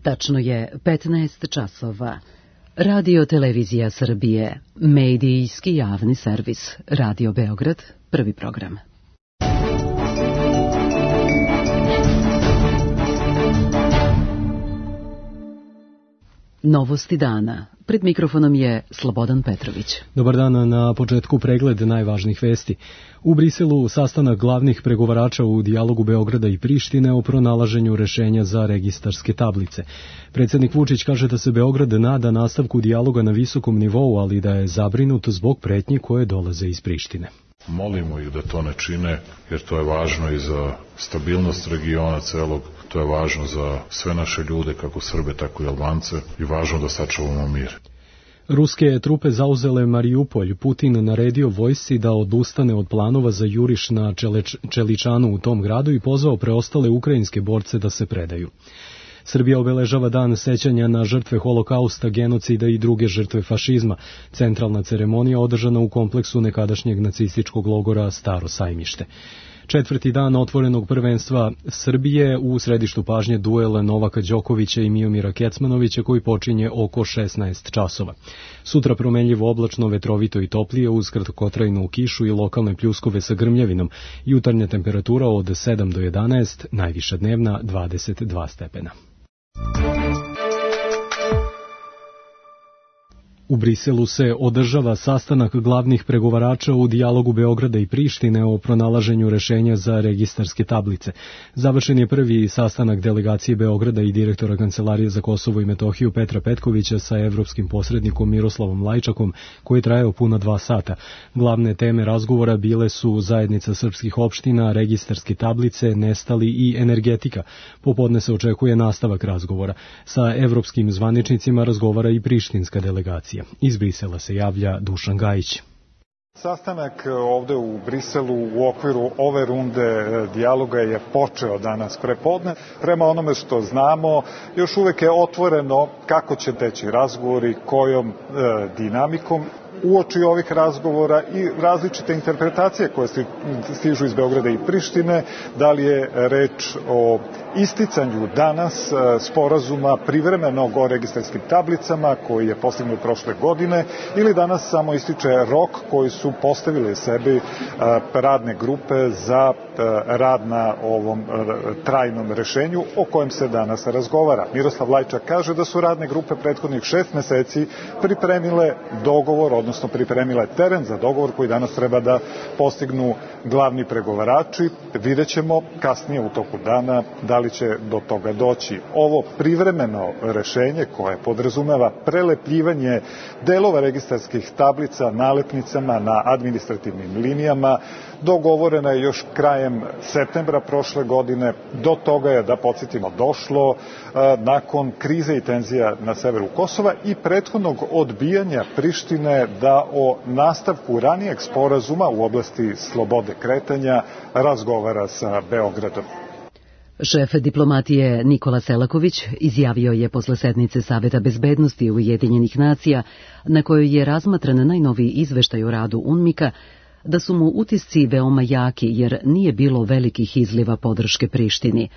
Tačno je 15 časova. Radio Televizija Srbije, medijski javni servis, Radio Beograd, prvi program. Novosti dana. Pred mikrofonom je Slobodan Petrović. Dobar dan, na početku pregled najvažnijih vesti. U Briselu sastanak glavnih pregovarača u dijalogu Beograda i Prištine o pronalaženju rešenja za registarske tablice. Predsjednik Vučić kaže da se Beograd nada nastavku dijaloga na visokom nivou, ali da je zabrinut zbog pretnji koje dolaze iz Prištine. Molimo ih da to ne čine, jer to je važno i za stabilnost regiona celog, to je važno za sve naše ljude, kako Srbe, tako i Albance, i važno da sačuvamo mir. Ruske trupe zauzele Mariupolj. Putin naredio vojsci da odustane od planova za juriš na Čeličanu u tom gradu i pozvao preostale ukrajinske borce da se predaju. Srbija obeležava dan sećanja na žrtve holokausta, genocida i druge žrtve fašizma. Centralna ceremonija održana u kompleksu nekadašnjeg nacističkog logora Staro Sajmište. Četvrti dan otvorenog prvenstva Srbije, u središtu pažnje duel Novaka Đokovića i Miomira Kecmanovića koji počinje oko 16 časova. Sutra promenljivo oblačno, vetrovito i toplije uz kratkotrajnu kišu i lokalne pljuskove sa grmljavinom. Jutarnja temperatura od 7 do 11, najviša dnevna 22 stepena. U Briselu se održava sastanak glavnih pregovarača u dijalogu Beograda i Prištine o pronalaženju rešenja za registarske tablice. Završen je prvi sastanak delegacije Beograda i direktora Kancelarije za Kosovo i Metohiju Petra Petkovića sa evropskim posrednikom Miroslavom Lajčakom, koji je trajao puna 2 sata. Glavne teme razgovora bile su zajednica srpskih opština, registarske tablice, nestali i energetika. Popodne se očekuje nastavak razgovora. Sa evropskim zvaničnicima razgovara i prištinska delegacija. Iz Brisela se javlja Dušan Gajić. Sastanak ovde u Briselu u okviru ove runde dijaloga je počeo danas prepodne. Prema onome što znamo, još uvek je otvoreno kako će teći razgovori, kojom dinamikom. Uoči ovih razgovora i različite interpretacije koje stižu iz Beograda i Prištine, da li je reč o isticanju danas sporazuma privremenog o registarskim tablicama koji je postignut prošle godine ili danas samo ističe rok koji su postavili sebi radne grupe za rad na ovom trajnom rešenju o kojem se danas razgovara. Miroslav Lajčak kaže da su radne grupe prethodnih 6 meseci pripremile dogovor, odnosno pripremile teren za dogovor koji danas treba da postignu glavni pregovarači. Vidjet ćemo kasnije u toku dana da li će do toga doći. Ovo privremeno rešenje koje podrazumeva prelepljivanje delova registarskih tablica nalepnicama na administrativnim linijama dogovorena je još krajem septembra prošle godine. Do toga je, da podsjetimo, došlo nakon krize i tenzija na severu Kosova i prethodnog odbijanja Prištine da o nastavku ranijeg sporazuma u oblasti slobode kretanja razgovara sa Beogradom. Šef diplomatije Nikola Selaković izjavio je posle sednice Saveta bezbednosti Ujedinjenih nacija, na kojoj je razmatran najnoviji izveštaj o radu UNMIK-a, da su mu utisci veoma jaki jer nije bilo velikih izliva podrške Prištini.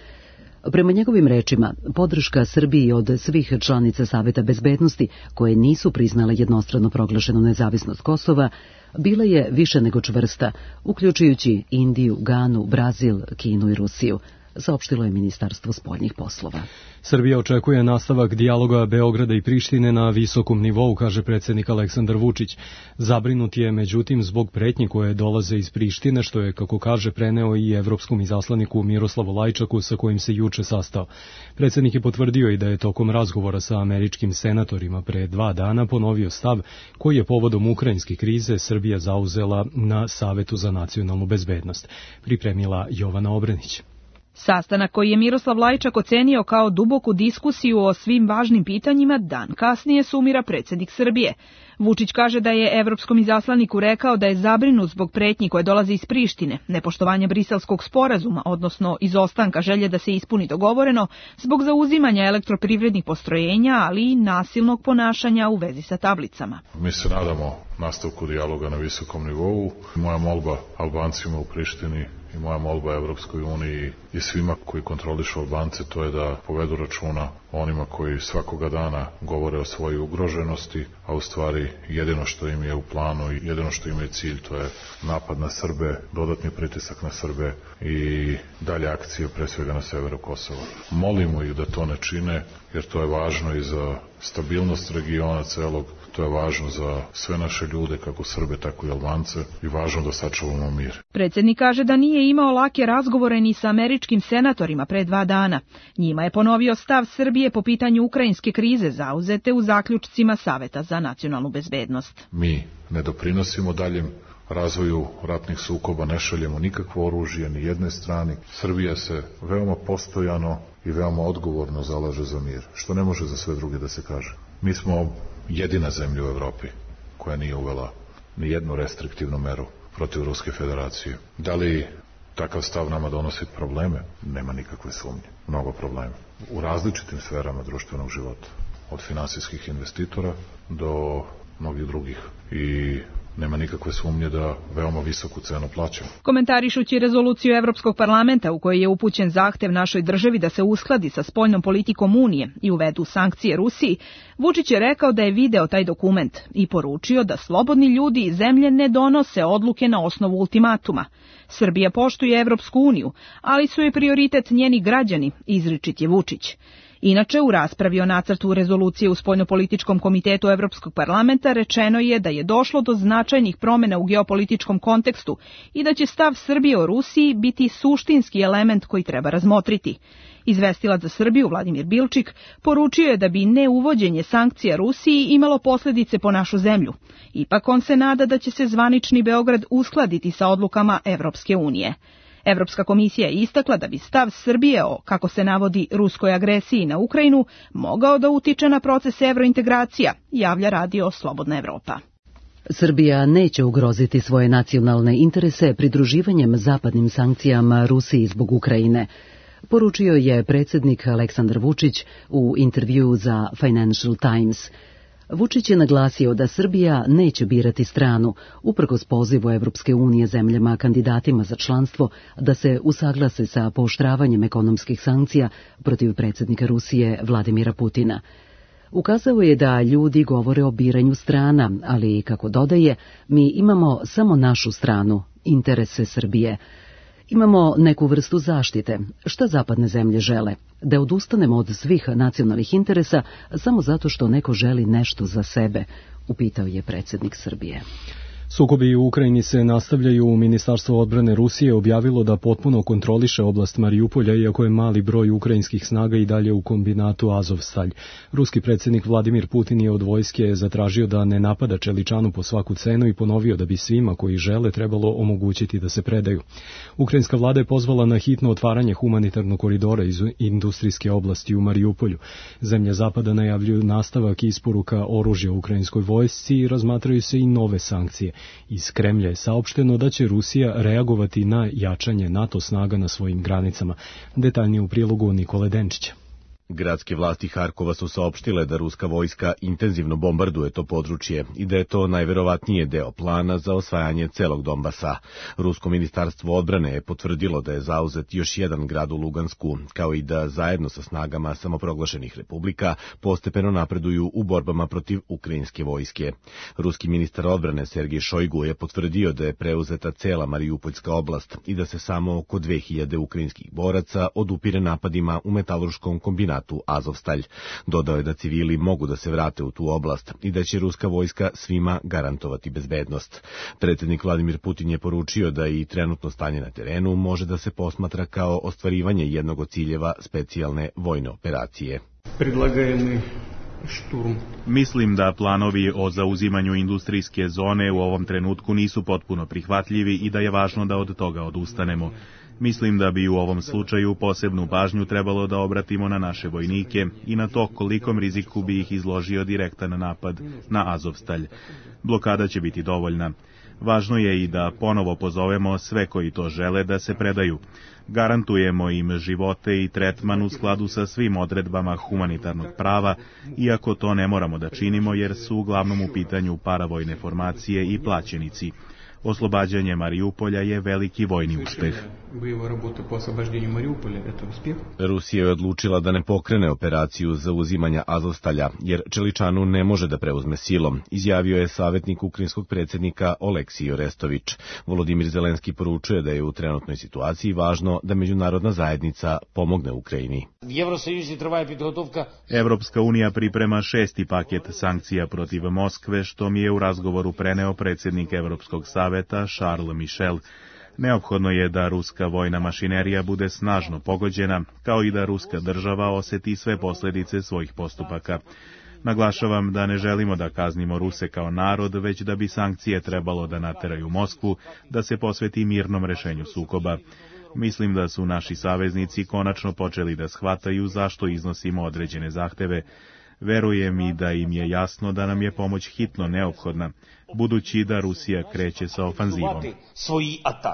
Prema njegovim rečima, podrška Srbiji od svih članica Saveta bezbednosti, koje nisu priznale jednostrano proglašenu nezavisnost Kosova, bila je više nego čvrsta, uključujući Indiju, Ganu, Brazil, Kinu i Rusiju, saopštilo je Ministarstvo spoljnih poslova. Srbija očekuje nastavak dijaloga Beograda i Prištine na visokom nivou, kaže predsjednik Aleksandar Vučić. Zabrinut je, međutim, zbog pretnji koje dolaze iz Prištine, što je, kako kaže, preneo i evropskom izaslaniku Miroslavu Lajčaku, sa kojim se juče sastao. Predsjednik je potvrdio i da je tokom razgovora sa američkim senatorima pre 2 dana ponovio stav koji je povodom ukrajinske krize Srbija zauzela na Savetu za nacionalnu bezbednost. Pripremila Jovana Obrenić. Sastanak koji je Miroslav Lajčak ocenio kao duboku diskusiju o svim važnim pitanjima, dan kasnije sumira predsjednik Srbije. Vučić kaže da je evropskom izaslaniku rekao da je zabrinut zbog pretnji koje dolaze iz Prištine, nepoštovanja briselskog sporazuma, odnosno izostanka želje da se ispuni dogovoreno, zbog zauzimanja elektroprivrednih postrojenja, ali i nasilnog ponašanja u vezi sa tablicama. Mi se nadamo nastavku dijaloga na visokom nivou. Moja molba Albancima u Prištini i moja molba Evropskoj uniji i svima koji kontrolišu Albance, to je da povedu računa o onima koji svakoga dana govore o svojoj ugroženosti, a u stvari jedino što im je u planu i jedino što im je cilj, to je napad na Srbe, dodatni pritisak na Srbe i dalje akcije pre svega na severu Kosova. Molimo ih da to ne čine, jer to je važno i za stabilnost regiona celog, to je važno za sve naše ljude, kako Srbe, tako i Albance, i važno da sačuvamo mir. Predsjednik kaže da nije imao lake razgovore ni sa američkim senatorima pre 2 dana. Njima je ponovio stav Srbije po pitanju ukrajinske krize zauzete u zaključcima Saveta za nacionalnu bezbednost. Mi ne doprinosimo daljem razvoju ratnih sukoba, ne šaljemo nikakvo oružje ni jednoj strani. Srbija se veoma postojano i veoma odgovorno zalaže za mir, što ne može za sve druge da se kaže. Mi smo jedina zemlja u Evropi koja nije uvela ni jednu restriktivnu meru protiv Ruske federacije. Da li takav stav nama donosi probleme? Nema nikakve sumnje. Mnogo problema. U različitim sferama društvenog života. Od finansijskih investitora do mnogih drugih. I nema nikakve sumnje da veoma visoku cenu plaćamo. Komentarišući rezoluciju Evropskog parlamenta u kojoj je upućen zahtev našoj državi da se uskladi sa spoljnom politikom Unije i uvedu sankcije Rusiji, Vučić je rekao da je video taj dokument i poručio da slobodni ljudi iz zemlje ne donose odluke na osnovu ultimatuma. Srbija poštuje Evropsku uniju, ali su joj prioritet njeni građani, izričit je Vučić. Inače, u raspravi o nacrtu rezolucije u Spoljnopolitičkom komitetu Evropskog parlamenta rečeno je da je došlo do značajnih promjena u geopolitičkom kontekstu i da će stav Srbije o Rusiji biti suštinski element koji treba razmotriti. Izvestilac za Srbiju Vladimir Bilčik poručio je da bi neuvođenje sankcija Rusiji imalo posljedice po našu zemlju. Ipak on se nada da će se zvanični Beograd uskladiti sa odlukama Evropske unije. Evropska komisija je istakla da bi stav Srbije o, kako se navodi, ruskoj agresiji na Ukrajinu mogao da utiče na proces evrointegracija, javlja radio Slobodna Evropa. Srbija neće ugroziti svoje nacionalne interese pridruživanjem zapadnim sankcijama Rusiji zbog Ukrajine, poručio je predsjednik Aleksandar Vučić u intervjuu za Financial Times. Vučić je naglasio da Srbija neće birati stranu, uprkos pozivu Evropske unije zemljama kandidatima za članstvo da se usaglase sa pooštravanjem ekonomskih sankcija protiv predsjednika Rusije Vladimira Putina. Ukazao je da ljudi govore o biranju strana, ali, kako dodaje, mi imamo samo našu stranu, interese Srbije. Imamo neku vrstu zaštite. Šta zapadne zemlje žele? Da odustanemo od svih nacionalnih interesa samo zato što neko želi nešto za sebe, upitao je predsjednik Srbije. Sukobi u Ukrajini se nastavljaju. Ministarstvo odbrane Rusije objavilo da potpuno kontroliše oblast Marijupolja, iako je mali broj ukrajinskih snaga i dalje u kombinatu Azovstalj. Ruski predsjednik Vladimir Putin je od vojske zatražio da ne napada Čeličanu po svaku cenu i ponovio da bi svima koji žele trebalo omogućiti da se predaju. Ukrajinska vlada je pozvala na hitno otvaranje humanitarnog koridora iz industrijske oblasti u Marijupolju. Zemlje zapada najavljuju nastavak isporuka oružja ukrajinskoj vojsci i razmatraju se i nove sankcije. Iz Kremlja je saopšteno da će Rusija reagovati na jačanje NATO snaga na svojim granicama. Detaljnije u prilogu Nikole Denčića. Gradske vlasti Harkova su saopštile da ruska vojska intenzivno bombarduje to područje i da je to najverovatnije deo plana za osvajanje celog Donbasa. Rusko ministarstvo odbrane je potvrdilo da je zauzet još jedan grad u Lugansku, kao i da zajedno sa snagama samoproglašenih republika postepeno napreduju u borbama protiv ukrajinske vojske. Ruski ministar odbrane Sergej Šojgu je potvrdio da je preuzeta cela Marijupoljska oblast i da se samo oko 2000 ukrajinskih boraca odupire napadima u metalurškom kombinatu Azovstalj. Dodao je da civili mogu da se vrate u tu oblast i da će ruska vojska svima garantovati bezbednost. Predsjednik Vladimir Putin je poručio da i trenutno stanje na terenu može da se posmatra kao ostvarivanje jednog od ciljeva specijalne vojne operacije. Mislim da planovi o zauzimanju industrijske zone u ovom trenutku nisu potpuno prihvatljivi i da je važno da od toga odustanemo. Mislim da bi u ovom slučaju posebnu pažnju trebalo da obratimo na naše vojnike i na to kolikom riziku bi ih izložio direktan napad na Azovstalj. Blokada će biti dovoljna. Važno je i da ponovo pozovemo sve koji to žele da se predaju. Garantujemo im živote i tretman u skladu sa svim odredbama humanitarnog prava, iako to ne moramo da činimo jer su uglavnom u pitanju paravojne formacije i plaćenici. Oslobađanje Mariupolja je veliki vojni uspeh. Rusija je odlučila da ne pokrene operaciju zauzimanja Azovstalja, jer Čeličanu ne može da preuzme silom, izjavio je savjetnik ukrajinskog predsjednika Oleksij Orestović. Volodimir Zelenski poručuje da je u trenutnoj situaciji važno da međunarodna zajednica pomogne Ukrajini. Evropska unija priprema 6. paket sankcija protiv Moskve, što mi je u razgovoru preneo predsjednik Evropskog saveta Charles Michel. Neophodno je da ruska vojna mašinerija bude snažno pogođena, kao i da ruska država osjeti sve posljedice svojih postupaka. Naglašavam da ne želimo da kaznimo Ruse kao narod, već da bi sankcije trebalo da nateraju Moskvu da se posveti mirnom rešenju sukoba. Mislim da su naši saveznici konačno počeli da shvataju zašto iznosimo određene zahteve. Verujem i da im je jasno da nam je pomoć hitno neophodna, budući da Rusija kreće sa ofanzivom.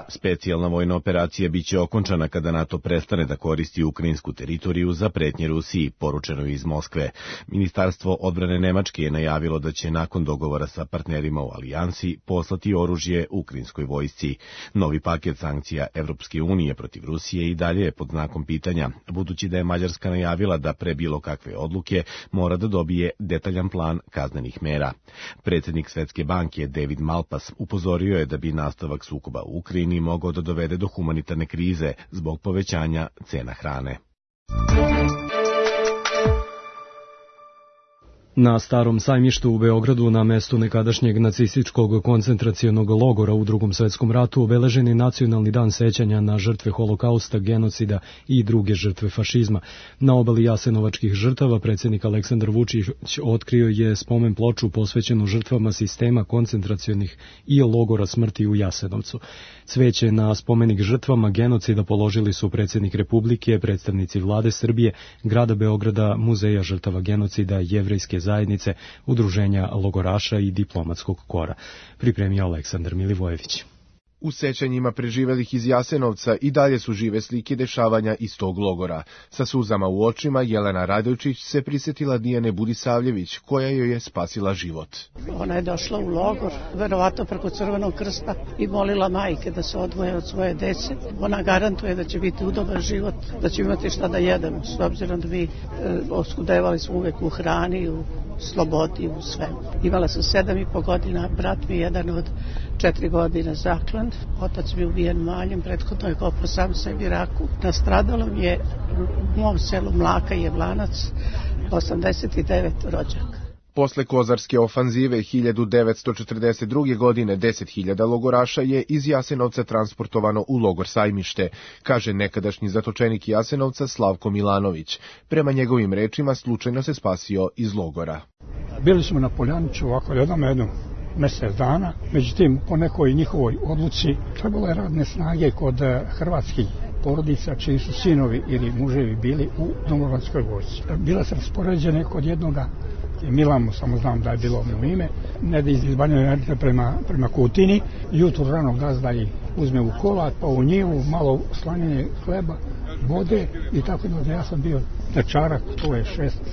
Specijalna vojna operacija biće okončana kada NATO prestane da koristi ukrajinsku teritoriju za pretnje Rusiji, poručeno iz Moskve. Ministarstvo odbrane Nemačke je najavilo da će nakon dogovora sa partnerima u alijansi poslati oružje ukrajinskoj vojsci. Novi paket sankcija Evropske unije protiv Rusije i dalje je pod znakom pitanja, budući da je Mađarska najavila da pre bilo kakve odluke mora da dobije detaljan plan kaznenih mera. Predsjednik Svetske banke David Malpass upozorio je da bi nastavak sukoba u Ukrajini mogao da dovede do humanitarne krize zbog povećanja cena hrane. Na Starom sajmištu u Beogradu, na mestu nekadašnjeg nacističkog koncentracionog logora u Drugom svetskom ratu, obeležen je Nacionalni dan sećanja na žrtve holokausta, genocida i druge žrtve fašizma. Na obali jasenovačkih žrtava predsjednik Aleksandar Vučić otkrio je spomen ploču posvećenu žrtvama sistema koncentracionih i logora smrti u Jasenovcu. Cveće na spomenik žrtvama genocida položili su predsjednik Republike, predstavnici vlade Srbije, grada Beograda, Muzeja žrtava genocida, Jevrejske zajednice, udruženja logoraša i diplomatskog kora. Pripremio Aleksandar Milivojević. U sećanjima preživelih iz Jasenovca i dalje su žive slike dešavanja iz tog logora. Sa suzama u očima Jelena Radojčić se prisjetila Dijane Budisavljević, koja joj je spasila život. Ona je došla u logor, verovatno preko Crvenog krsta, i molila majke da se odvoje od svoje dece. Ona garantuje da će biti udoban život, da će imati šta da jedemo, s obzirom da mi oskudevali smo uvek u hrani, u slobodi, u svemu. Imala sam 7,5 godina, brat mi jedan od 4 godine zaklan. Otac mi ubijen maljem, prethodno je kopao sam sebi raku. Nastradalo mi je u mom selu Mlaka i Jablanac 89 rođaka. Posle Kozarske ofanzive 1942. godine 10.000 logoraša je iz Jasenovca transportovano u logor Sajmište, kaže nekadašnji zatočenik Jasenovca Slavko Milanović. Prema njegovim rečima slučajno se spasio iz logora. Bili smo na Poljaniću ovako jednom mjesec dana, međutim po nekoj njihovoj odluci trebalo je radne snage kod hrvatskih porodica čiji su sinovi ili muževi bili u domobranskoj vojsci. Bila se raspoređene kod jednoga Milamo, samo znam da je bilo mu ime, ne da iz Banja Luka prema Kutini. Jutro rano gazda ih uzme u kola, pa u njivu, malo slanjene hleba, vode i tako da ja sam bio dečarak, to je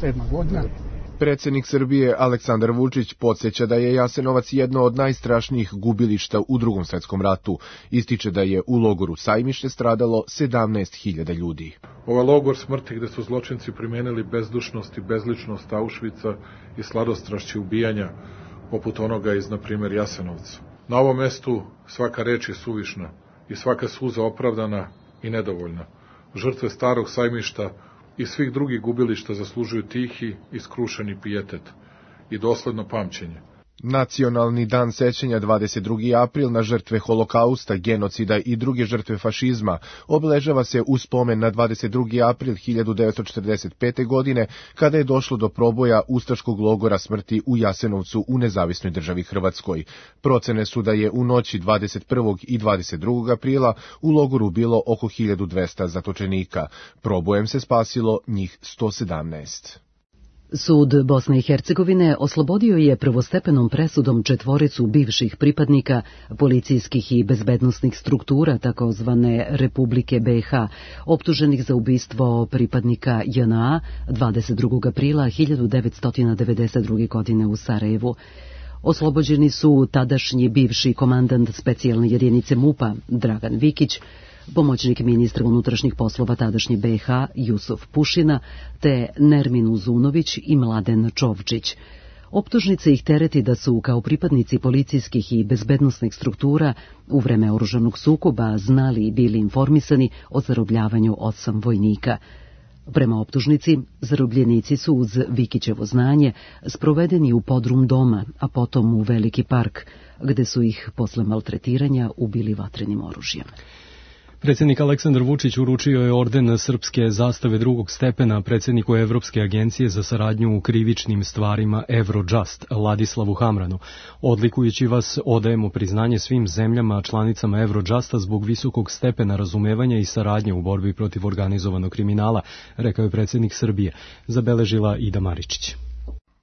6-7 godina. Predsjednik Srbije Aleksandar Vučić podsjeća da je Jasenovac jedno od najstrašnijih gubilišta u Drugom svetskom ratu. Ističe da je u logoru Sajmište stradalo 17.000 ljudi. Ovaj logor smrti gde su zločinci primenili bezdušnost i bezličnost Auschwitza i sladostrašće ubijanja, poput onoga iz, na primjer, Jasenovca. Na ovom mestu svaka reč je suvišna i svaka suza opravdana i nedovoljna. Žrtve Starog sajmišta i svih drugih gubilišta zaslužuju tihi i skrušeni pijetet i dosledno pamćenje. Nacionalni dan sećanja 22. april na žrtve holokausta, genocida i druge žrtve fašizma obeležava se u spomen na 22. april 1945. godine, kada je došlo do proboja ustaškog logora smrti u Jasenovcu u nezavisnoj državi Hrvatskoj. Procene su da je u noći 21. i 22. aprila u logoru bilo oko 1200 zatočenika. Probojem se spasilo njih 117. Sud Bosne i Hercegovine oslobodio je prvostepenom presudom 4 bivših pripadnika policijskih i bezbednosnih struktura takozvane Republike BiH, optuženih za ubistvo pripadnika JNA 22. aprila 1992. godine u Sarajevu. Oslobođeni su tadašnji bivši komandant specijalne jedinice MUP-a Dragan Vikić, pomoćnik ministra unutrašnjih poslova tadašnje BiH Jusuf Pušina, te Nermin Uzunović i Mladen Čovčić. Optužnice ih tereti da su kao pripadnici policijskih i bezbednosnih struktura u vreme oružanog sukoba znali i bili informisani o zarobljavanju 8 vojnika. Prema optužnici, zarobljenici su uz Vikićevo znanje sprovedeni u podrum doma, a potom u Veliki park, gde su ih posle maltretiranja ubili vatrenim oružjem. Predsjednik Aleksandar Vučić uručio je orden srpske zastave drugog stepena predsjedniku Evropske agencije za saradnju u krivičnim stvarima Eurojust, Ladislavu Hamranu. Odlikujući vas, odajemo priznanje svim zemljama članicama Eurojusta zbog visokog stepena razumevanja i saradnje u borbi protiv organizovanog kriminala, rekao je predsjednik Srbije, zabeležila Ida Maričić.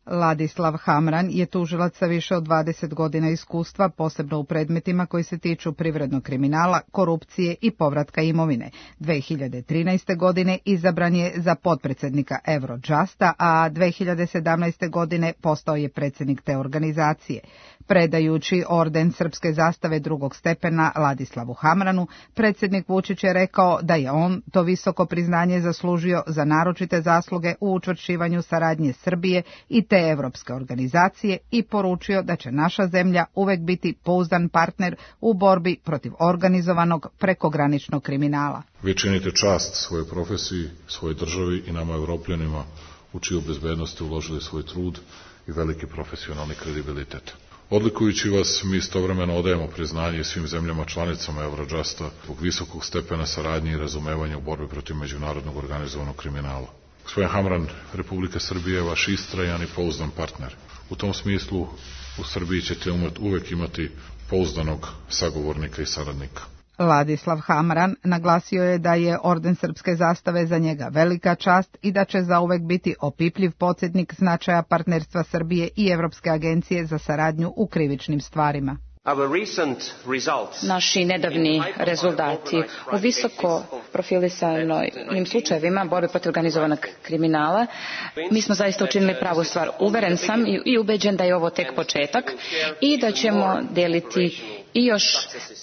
Ladislav Hamran je tužilac sa više od 20 godina iskustva, posebno u predmetima koji se tiču privrednog kriminala, korupcije i povratka imovine. 2013. godine izabran je za potpredsjednika Eurojusta, a 2017. godine postao je predsjednik te organizacije. Predajući orden srpske zastave drugog stepena Ladislavu Hamranu, predsjednik Vučić je rekao da je on to visoko priznanje zaslužio za naročite zasluge u učvršćivanju saradnje Srbije i te evropske organizacije i poručio da će naša zemlja uvek biti pouzdan partner u borbi protiv organizovanog prekograničnog kriminala. Vi činite čast svojoj profesiji, svojoj državi i nama Evropljanima u čiju bezbednosti uložili svoj trud i veliki profesionalni kredibilitet. Odlikujući vas, mi istovremeno odajemo priznanje svim zemljama članicama Eurojusta zbog visokog stepena saradnje i razumevanja u borbi protiv međunarodnog organizovanog kriminala. Gospodin Hamran, Republika Srbije je vaš istrajan i pouzdan partner. U tom smislu u Srbiji ćete uvek imati pouzdanog sagovornika i saradnika. Ladislav Hamran naglasio je da je orden srpske zastave za njega velika čast i da će zauvek biti opipljiv podsjetnik značaja partnerstva Srbije i Evropske agencije za saradnju u krivičnim stvarima. Naši nedavni rezultati u visoko profilisanim slučajevima borbe protiv organizovanog kriminala, mi smo zaista učinili pravu stvar. Uveren sam i ubeđen da je ovo tek početak i da ćemo deliti i još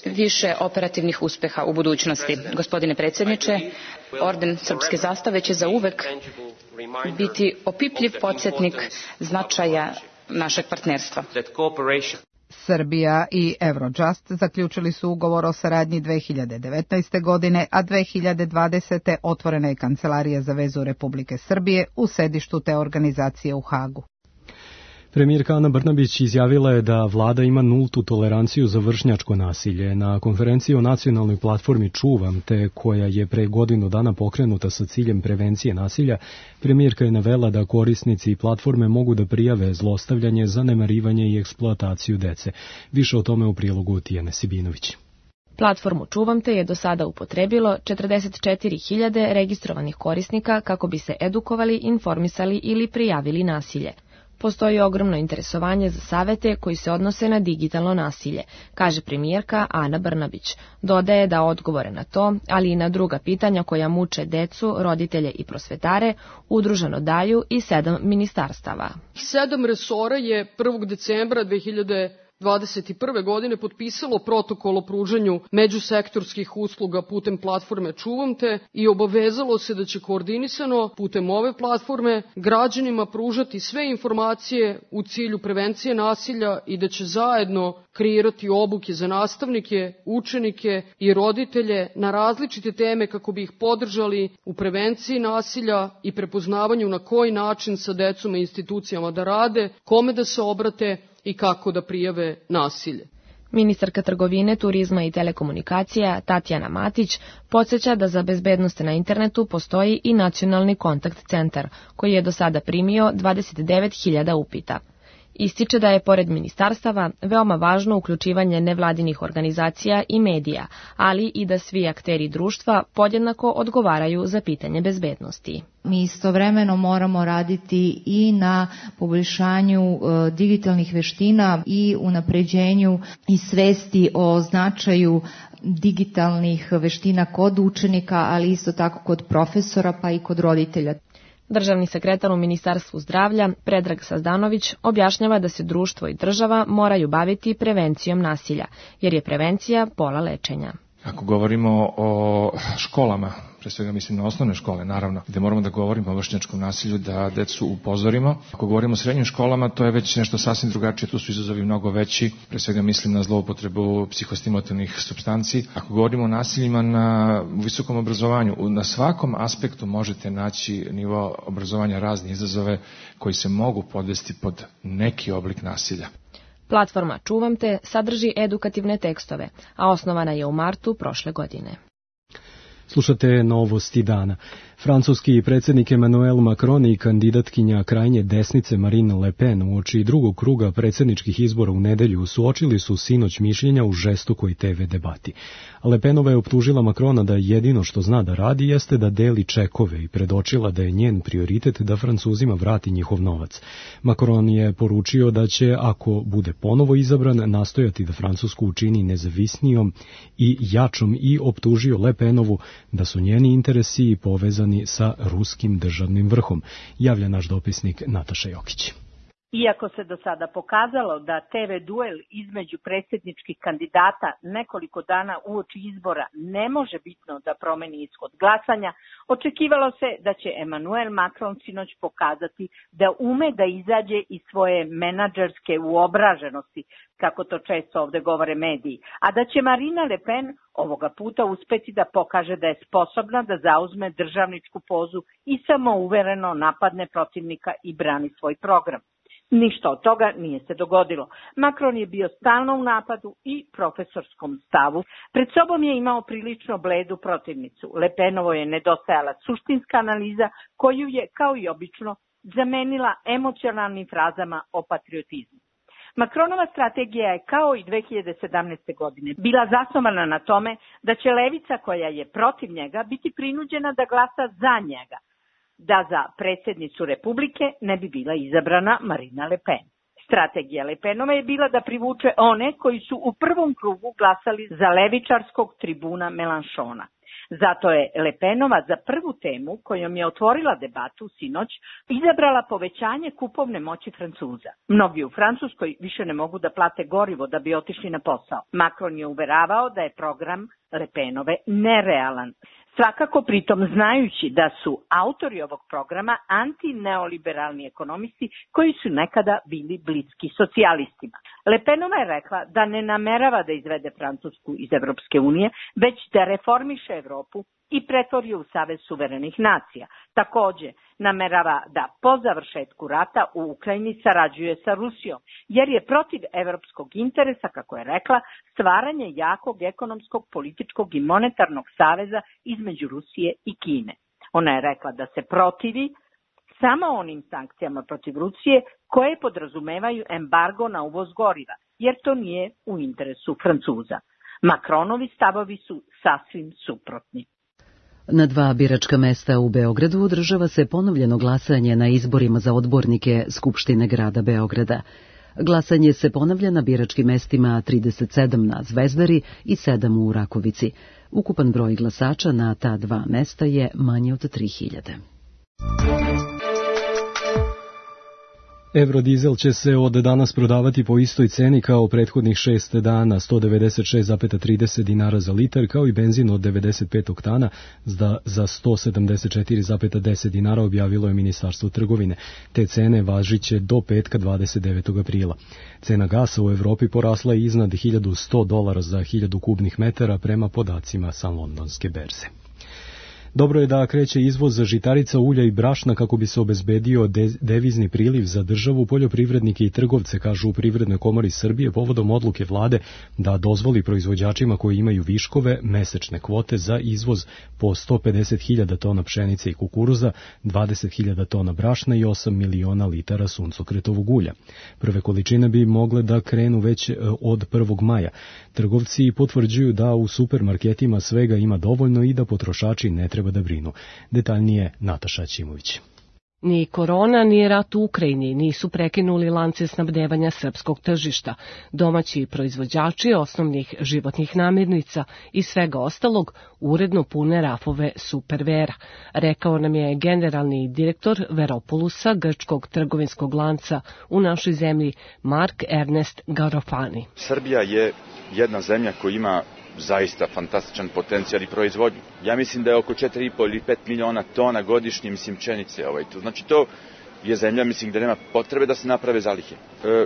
više operativnih uspeha u budućnosti. Gospodine predsjedniče, orden srpske zastave će zauvek biti opipljiv podsjetnik značaja našeg partnerstva. Srbija i Eurojust zaključili su ugovor o saradnji 2019. godine, a 2020. otvorena je Kancelarija za vezu Republike Srbije u sedištu te organizacije u Hagu. Premijerka Ana Brnabić izjavila je da vlada ima nultu toleranciju za vršnjačko nasilje. Na konferenciji o nacionalnoj platformi Čuvam te, koja je pre godinu dana pokrenuta sa ciljem prevencije nasilja, premijerka je navela da korisnici platforme mogu da prijave zlostavljanje, zanemarivanje i eksploataciju dece. Više o tome u prilogu Tijane Sibinović. Platformu Čuvam te je do sada upotrebilo 44.000 registrovanih korisnika kako bi se edukovali, informisali ili prijavili nasilje. Postoji ogromno interesovanje za savete koji se odnose na digitalno nasilje, kaže premijerka Ana Brnabić. Dodaje da odgovore na to, ali i na druga pitanja koja muče decu, roditelje i prosvetare, udruženo daju i 7 ministarstava. 7 resora je 1. decembra 2021. godine potpisalo protokol o pružanju međusektorskih usluga putem platforme Čuvam te i obavezalo se da će koordinisano putem ove platforme građanima pružati sve informacije u cilju prevencije nasilja i da će zajedno kreirati obuke za nastavnike, učenike i roditelje na različite teme kako bi ih podržali u prevenciji nasilja i prepoznavanju na koji način sa decom i institucijama da rade, kome da se obrate i kako da prijave nasilje. Ministarka trgovine, turizma i telekomunikacija Tatjana Matić podsjeća da za bezbednost na internetu postoji i nacionalni kontakt centar, koji je do sada primio 29.000 upita. Ističe da je, pored ministarstava, veoma važno uključivanje nevladinih organizacija i medija, ali i da svi akteri društva podjednako odgovaraju za pitanje bezbednosti. Mi istovremeno moramo raditi i na poboljšanju digitalnih veština i unapređenju i svesti o značaju digitalnih veština kod učenika, ali isto tako kod profesora pa i kod roditelja. Državni sekretar u Ministarstvu zdravlja, Predrag Sazdanović, objašnjava da se društvo i država moraju baviti prevencijom nasilja, jer je prevencija pola lečenja. Ako govorimo o školama, pre svega mislim na osnovne škole, naravno, gde moramo da govorimo o vršnjačkom nasilju, da decu upozorimo. Ako govorimo o srednjim školama, to je već nešto sasvim drugačije, tu su izazovi mnogo veći, pre svega mislim na zloupotrebu psihostimulativnih supstanci. Ako govorimo o nasiljima na visokom obrazovanju, na svakom aspektu možete naći nivo obrazovanja razne izazove koji se mogu podvesti pod neki oblik nasilja. Platforma Čuvam te sadrži edukativne tekstove, a osnovana je u martu prošle godine. Slušate novosti dana. Francuski predsjednik Emmanuel Macron i kandidatkinja krajnje desnice Marine Le Pen uoči drugog kruga predsjedničkih izbora u nedelju suočili su sinoć mišljenja u žestokoj TV debati. Le Penova je optužila Macrona da jedino što zna da radi jeste da deli čekove i predočila da je njen prioritet da Francuzima vrati njihov novac. Macron je poručio da će, ako bude ponovo izabran, nastojati da Francusku učini nezavisnijom i jačom i optužio Le Penovu da su njeni interesi povezani sa ruskim državnim vrhom, javlja naš dopisnik Nataša Jokić. Iako se do sada pokazalo da TV duel između predsjedničkih kandidata nekoliko dana uoči izbora ne može bitno da promeni ishod glasanja, očekivalo se da će Emmanuel Macron sinoć pokazati da ume da izađe iz svoje menadžerske uobraženosti, kako to često ovde govore mediji, a da će Marine Le Pen ovoga puta uspeti da pokaže da je sposobna da zauzme državničku pozu i samouvereno napadne protivnika i brani svoj program. Ništa od toga nije se dogodilo. Macron je bio stalno u napadu i profesorskom stavu. Pred sobom je imao prilično bledu protivnicu. Le Penovo je nedostajala suštinska analiza koju je, kao i obično, zamenila emocionalnim frazama o patriotizmu. Macronova strategija je, kao i 2017. godine, bila zasnovana na tome da će levica koja je protiv njega biti prinuđena da glasa za njega, da za predsjednicu Republike ne bi bila izabrana Marine Le Pen. Strategija Le Penova je bila da privuče one koji su u prvom krugu glasali za levičarskog tribuna Mélenchona. Zato je Le Penova za prvu temu, kojom je otvorila debatu sinoć, izabrala povećanje kupovne moći Francuza. Mnogi u Francuskoj više ne mogu da plate gorivo da bi otišli na posao. Macron je uveravao da je program Le Penove nerealan. Svakako pritom znajući da su autori ovog programa antineoliberalni ekonomisti koji su nekada bili bliski socijalistima. Le Penova je rekla da ne namerava da izvede Francusku iz Evropske unije, već da reformiše Evropu i pretvori u Savez suverenih nacija. Takođe, namerava da po završetku rata u Ukrajini sarađuje sa Rusijom, jer je protiv evropskog interesa, kako je rekla, stvaranje jakog ekonomskog, političkog i monetarnog saveza između Rusije i Kine. Ona je rekla da se protivi samo onim sankcijama protiv Rusije koje podrazumevaju embargo na uvoz goriva, jer to nije u interesu Francuza. Macronovi stavovi su sasvim suprotni. Na 2 biračka mesta u Beogradu održava se ponovljeno glasanje na izborima za odbornike Skupštine grada Beograda. Glasanje se ponavlja na biračkim mestima 37 na Zvezdari i 7 u Rakovici. Ukupan broj glasača na ta 2 mesta je manje od 3000. Eurodizel će se od danas prodavati po istoj ceni kao prethodnih 6 dana, 196,30 dinara za litar, kao i benzin od 95 oktana za 174,10 dinara, objavilo je Ministarstvo trgovine. Te cene važiće do petka 29. aprila. Cena gasa u Evropi porasla je iznad $1.100 za 1000 kubnih metara prema podacima sa londonske berze. Dobro je da kreće izvoz žitarica, ulja i brašna kako bi se obezbedio devizni priliv za državu, poljoprivrednike i trgovce, kažu u Privrednoj komori Srbije, povodom odluke vlade da dozvoli proizvođačima koji imaju viškove mesečne kvote za izvoz po 150.000 tona pšenice i kukuruza, 20.000 tona brašna i 8 miliona litara suncokretovog ulja. Prve količine bi mogle da krenu već od 1. maja. Trgovci potvrđuju da u supermarketima svega ima dovoljno i da potrošači ne treba da brinu. Detaljnije Nataša Ćimović. Ni korona, ni rat u Ukrajini nisu prekinuli lance snabdevanja srpskog tržišta. Domaći proizvođači osnovnih životnih namirnica i svega ostalog uredno pune rafove Supervera, rekao nam je generalni direktor Veropolusa, grčkog trgovinskog lanca u našoj zemlji, Mark Ernest Garofani. Srbija je jedna zemlja koja ima zaista fantastičan potencijal i proizvodnju. Ja mislim da je oko 4,5 ili 5 miliona tona godišnje, pšenice. Znači to je zemlja, mislim, da nema potrebe da se naprave zalihe.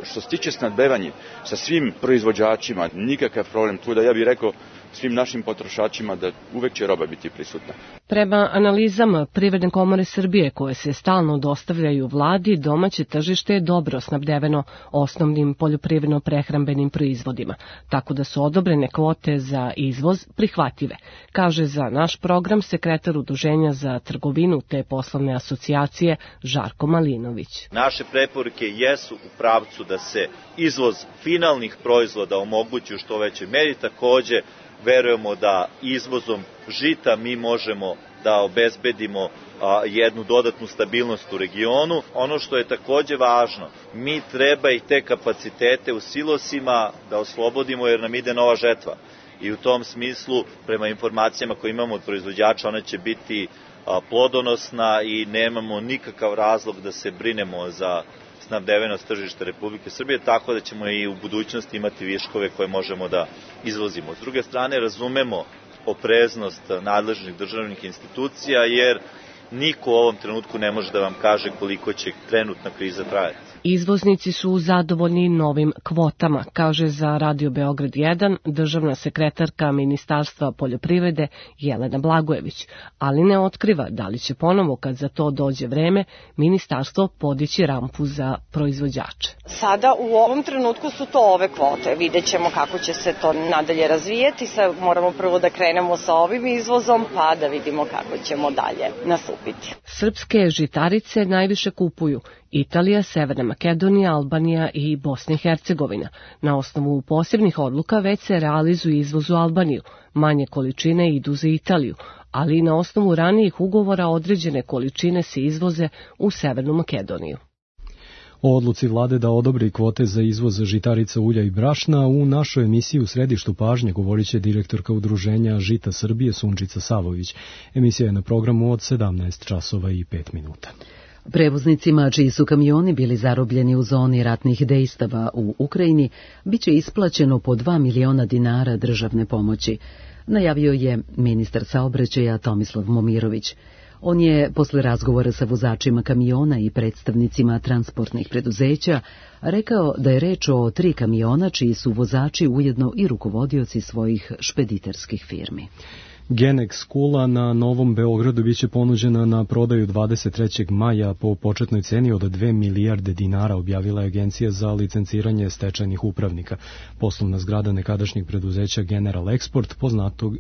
Što se tiče snabdevanja sa svim proizvođačima, nikakav problem tu, da ja bih rekao svim našim potrošačima da uvek će roba biti prisutna. Prema analizama Privredne komore Srbije koje se stalno dostavljaju vladi, domaće tržište je dobro snabdeveno osnovnim poljoprivredno-prehrambenim proizvodima, tako da su odobrene kvote za izvoz prihvatljive, kaže za naš program sekretar Udruženja za trgovinu te poslovne asocijacije Žarko Malinović. Naše preporuke jesu u pravcu da se izvoz finalnih proizvoda omogući u što većoj meri, takođe verujemo da izvozom žita mi možemo da obezbedimo jednu dodatnu stabilnost u regionu. Ono što je takođe važno, mi treba i te kapacitete u silosima da oslobodimo jer nam ide nova žetva. I u tom smislu, prema informacijama koje imamo od proizvođača, ona će biti plodonosna i nemamo nikakav razlog da se brinemo za snabdevenost tržišta Republike Srbije, tako da ćemo i u budućnosti imati viškove koje možemo da izvozimo. S druge strane, razumemo opreznost nadležnih državnih institucija, jer niko u ovom trenutku ne može da vam kaže koliko će trenutna kriza trajati. Izvoznici su zadovoljni novim kvotama, kaže za Radio Beograd 1 državna sekretarka Ministarstva poljoprivrede Jelena Blagojević, ali ne otkriva da li će ponovo, kad za to dođe vreme, ministarstvo podići rampu za proizvođače. Sada u ovom trenutku su to ove kvote. Vidjet ćemo kako će se to nadalje razvijeti. Sad moramo prvo da krenemo sa ovim izvozom, pa da vidimo kako ćemo dalje nastupiti. Srpske žitarice najviše kupuju Italija, Severna Makedonija, Albanija i Bosna i Hercegovina. Na osnovu posebnih odluka već se realizuju izvoz u Albaniju, manje količine idu za Italiju, ali i na osnovu ranijih ugovora određene količine se izvoze u Severnu Makedoniju. O odluci vlade da odobri kvote za izvoz žitarica, ulja i brašna u našoj emisiji U središtu pažnje govorit će direktorka Udruženja Žita Srbije Sunčica Savović. Emisija je na programu od 17 časova i 5 minuta. Prevoznicima čiji su kamioni bili zarobljeni u zoni ratnih dejstava u Ukrajini biće isplaćeno po 2 miliona dinara državne pomoći, najavio je ministar saobraćaja Tomislav Momirović. On je posle razgovora sa vozačima kamiona i predstavnicima transportnih preduzeća rekao da je reč o 3 kamiona čiji su vozači ujedno i rukovodioci svojih špediterskih firmi. Genex kula na Novom Beogradu biće ponuđena na prodaju 23. maja po početnoj ceni od 2 milijarde dinara, objavila je Agencija za licenciranje stečajnih upravnika. Poslovna zgrada nekadašnjeg preduzeća General Export,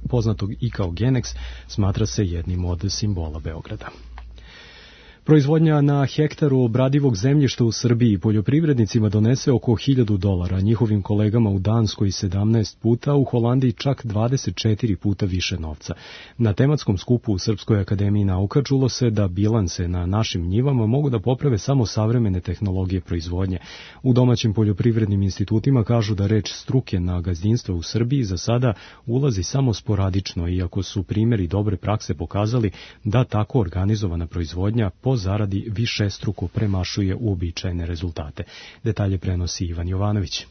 poznatog i kao Genex, smatra se jednim od simbola Beograda. Proizvodnja na hektaru obradivog zemljišta u Srbiji poljoprivrednicima donese oko $1.000, njihovim kolegama u Danskoj 17 puta, u Holandiji čak 24 puta više novca. Na tematskom skupu u Srpskoj akademiji nauka čulo se da bilanse na našim njivama mogu da poprave samo savremene tehnologije proizvodnje. U domaćim poljoprivrednim institutima kažu da reč struke na gazdinstvo u Srbiji za sada ulazi samo sporadično, iako su primjeri dobre prakse pokazali da tako organizovana proizvodnja po zaradi višestruko premašuje uobičajene rezultate. Detalje prenosi Ivan Jovanović.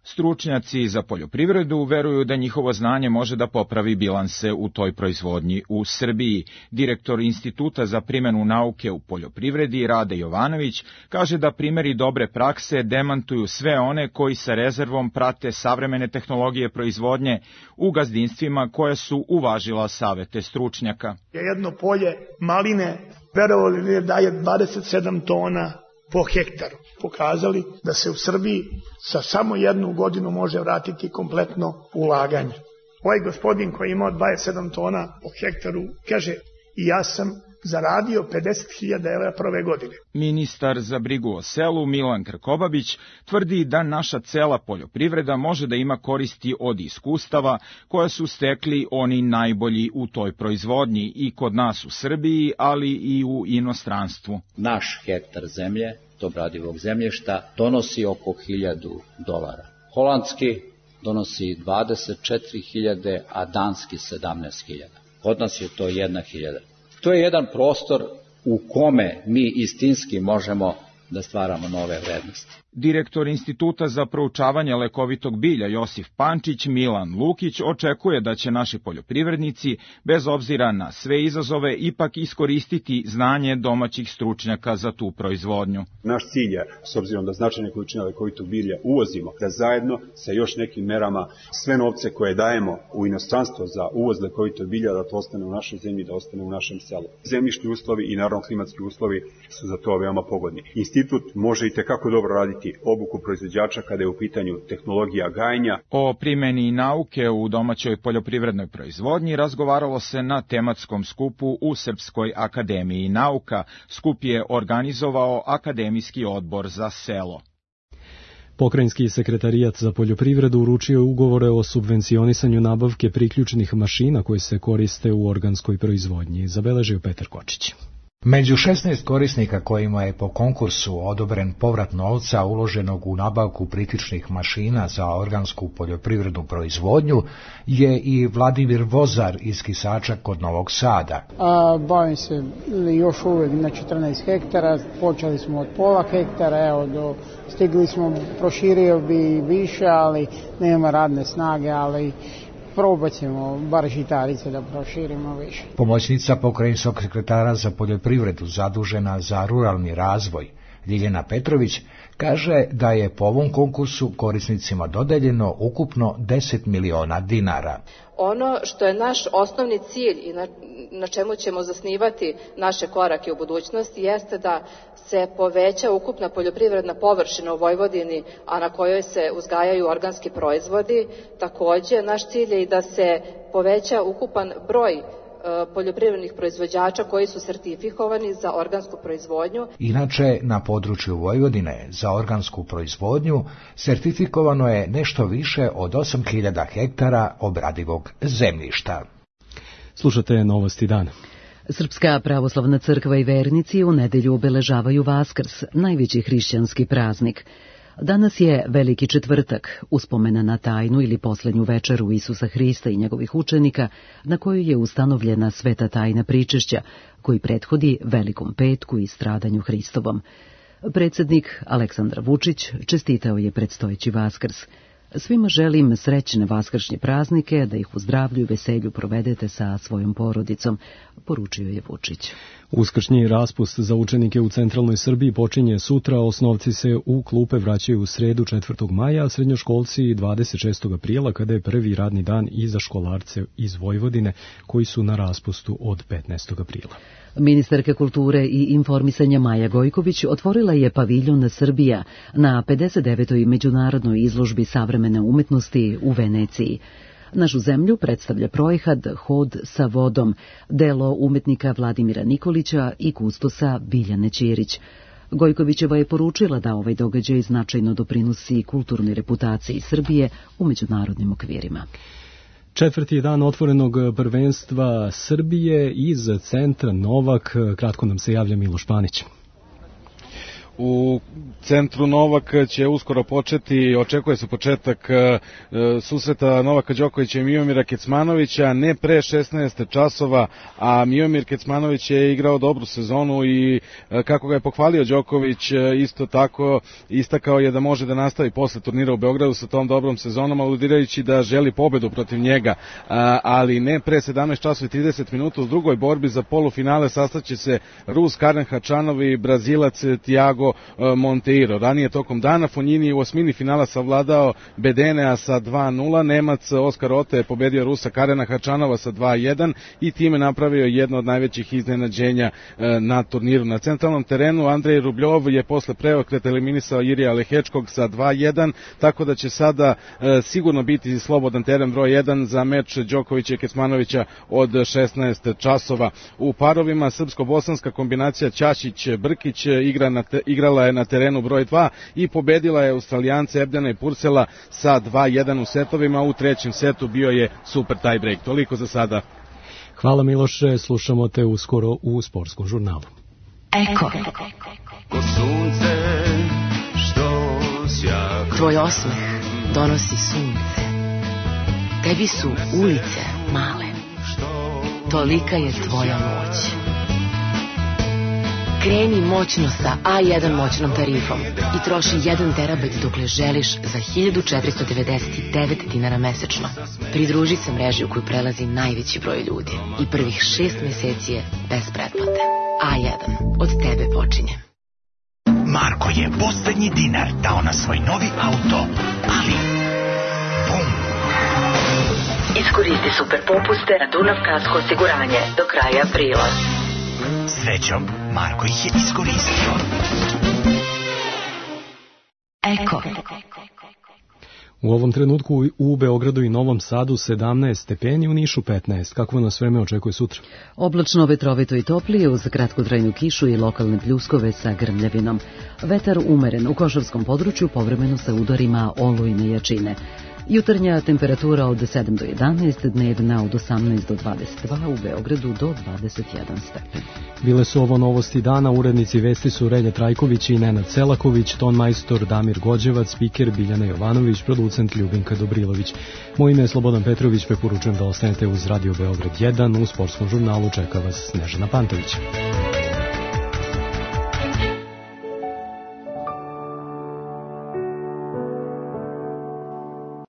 Stručnjaci za poljoprivredu veruju da njihovo znanje može da popravi bilanse u toj proizvodnji u Srbiji. Direktor Instituta za primjenu nauke u poljoprivredi Rade Jovanović kaže da primjeri dobre prakse demantuju sve one koji sa rezervom prate savremene tehnologije proizvodnje u gazdinstvima koje su uvažila savete stručnjaka. Jedno polje maline, verovali li daje 27 tona po hektaru. Pokazali da se u Srbiji sa samo 1 godinu može vratiti kompletno ulaganje. Ovaj gospodin koji je imao 27 tona po hektaru kaže i ja sam zaradio 50.000 € prve godine. Ministar za brigu o selu Milan Krkobabić tvrdi da naša cela poljoprivreda može da ima koristi od iskustava koje su stekli oni najbolji u toj proizvodnji i kod nas u Srbiji, ali i u inostranstvu. Naš hektar zemlje, obradivog zemljišta, donosi oko $1.000. Holandski donosi 24.000, a danski 17.000. Kod nas je to 1.000. To je jedan prostor u kome mi istinski možemo da stvaramo nove vrednosti. Direktor Instituta za proučavanje lekovitog bilja Josif Pančić Milan Lukić očekuje da će naši poljoprivrednici, bez obzira na sve izazove, ipak iskoristiti znanje domaćih stručnjaka za tu proizvodnju. Naš cilj je, s obzirom da značajne količine lekovitog bilja uvozimo, da zajedno sa još nekim merama sve novce koje dajemo u inostranstvo za uvoz lekovitog bilja, da to ostane u našoj zemlji, da ostane u našem selu. Zemljišni uslovi i naravno klimatski uslovi su za to veoma pogodni. Institut može i tekako dobro raditi obuku proizvođača kada je u pitanju tehnologija gajenja. O primjeni nauke u domaćoj poljoprivrednoj proizvodnji razgovaralo se na tematskom skupu u Srpskoj akademiji nauka. Skup je organizovao Akademijski odbor za selo. Pokrajinski sekretarijat za poljoprivredu uručio je ugovore o subvencionisanju nabavke priključnih mašina koje se koriste u organskoj proizvodnji, zabeležio Petar Kočić. Među 16 korisnika kojima je po konkursu odobren povrat novca uloženog u nabavku priključnih mašina za organsku poljoprivrednu proizvodnju je i Vladimir Vozar iz Kisača kod Novog Sada. Bavim se još uvijek na 14 hektara, počeli smo od pola hektara, stigli smo, proširio bi više, ali nema radne snage, ali probat ćemo bar žitarice da proširimo više. Pomoćnica pokrajinskog sekretara za poljoprivredu zadužena za ruralni razvoj, Ljiljana Petrović, kaže da je po ovom konkursu korisnicima dodeljeno ukupno 10 miliona dinara. Ono što je naš osnovni cilj i na čemu ćemo zasnivati naše korake u budućnosti jeste da se poveća ukupna poljoprivredna površina u Vojvodini, a na kojoj se uzgajaju organski proizvodi. Također, naš cilj je i da se poveća ukupan broj poljoprivrednih proizvođača koji su sertifikovani za organsku proizvodnju. Inače, na području Vojvodine za organsku proizvodnju sertifikovano je nešto više od 8.000 hektara obradivog zemljišta. Slušate Novosti dana. Srpska pravoslavna crkva i vernici u nedelju obeležavaju Vaskrs, najveći hrišćanski praznik. Danas je Veliki četvrtak, uspomena na tajnu ili poslednju večeru Isusa Hrista i njegovih učenika, na kojoj je ustanovljena sveta tajna pričešća, koji prethodi Velikom petku i stradanju Hristovom. Predsjednik Aleksandar Vučić čestitao je predstojeći Vaskrs. Svima želim srećne vaskršnje praznike, da ih u zdravlju i veselju provedete sa svojom porodicom, poručio je Vučić. Uskršnji raspust za učenike u centralnoj Srbiji počinje sutra, osnovci se u klupe vraćaju u sredu 4. maja, a srednjoškolci 26. aprila, kada je prvi radni dan i za školarce iz Vojvodine, koji su na raspustu od 15. aprila. Ministarka kulture i informisanja Maja Gojković otvorila je paviljon Srbija na 59. međunarodnoj izložbi savremene umetnosti u Veneciji. Našu zemlju predstavlja projekat Hod sa vodom, delo umetnika Vladimira Nikolića i kustosa Biljane Ćirić. Gojkovićeva je poručila da ovaj događaj značajno doprinosi kulturnoj reputaciji Srbije u međunarodnim okvirima. Četvrti dan otvorenog prvenstva Srbije iz centra Novak. Kratko nam se javlja Miloš Panić. U centru Novak će uskoro početi, očekuje se početak susreta Novaka Đokovića i Miomira Kecmanovića, ne pre 16 časova, a Miomir Kecmanović je igrao dobru sezonu i kako ga je pohvalio Đoković, isto tako istakao je da može da nastavi posle turnira u Beogradu sa tom dobrom sezonom, aludirajući da želi pobedu protiv njega, ali ne pre 17 časova i 30 minuta. U drugoj borbi za polufinale sastaće se Rus Karen Hačanov i Brazilac Thiago Monteiro. Ranije tokom dana Fonjini je u osmini finala savladao Bedenea sa 2-0, Nemac Oskar Ote je pobedio Rusa Karena Hačanova sa 2-1 i time napravio jedno od najvećih iznenađenja na turniru. Na centralnom terenu Andrej Rubljov je posle preokreta eliminisao Irija Lehečkog sa 2-1, tako da će sada sigurno biti slobodan teren broj 1 za meč Đokovića i Kecmanovića od 16 časova. U parovima srpsko-bosanska kombinacija Ćašić-Brkić igrala je na terenu broj 2 i pobedila je Australijance Ebdena i Pursela sa 2-1 u setovima. U trećem setu bio je super tiebreak. Toliko za sada. Hvala Miloše, slušamo te uskoro u sportskom žurnalu. Eko. Tvoj osmeh donosi sunce. Tebi su ulice male. tolika je tvoja moć. Kreni moćno sa A1 moćnom tarifom i troši 1 terabajt dokle želiš za 1499 dinara mesečno. Pridruži se mreži u koju prelazi najveći broj ljudi i prvih 6 meseci je bez pretplate. A1. Od tebe počinje. Marko je poslednji dinar dao na svoj novi auto, ali bum! Iskoristi super popuste na Dunav kasko osiguranje do kraja aprila. Srećom, Marko ih je iskoristio. Eko. U ovom trenutku u Beogradu i Novom Sadu 17 stepeni, u Nišu 15. Kako nas vreme očekuje sutra? Oblačno, vetrovito i toplije uz kratkotrajnu kišu i lokalne pljuskove sa grmljavinom. Vetar umeren u Košavskom području, povremeno sa udorima olujne jačine. Jutarnja temperatura od 7 do 11, dnevna od 18 do 22, u Beogradu do 21 stepen. Bile su ovo novosti dana, urednici vesti su Relja Trajković i Nenad Selaković, tonmajstor Damir Gođevac, spiker Biljana Jovanović, producent Ljubinka Dobrilović. Moje ime je Slobodan Petrović, preporučujem da ostanete uz Radio Beograd 1, u sportskom žurnalu čeka vas Snežana Pantović.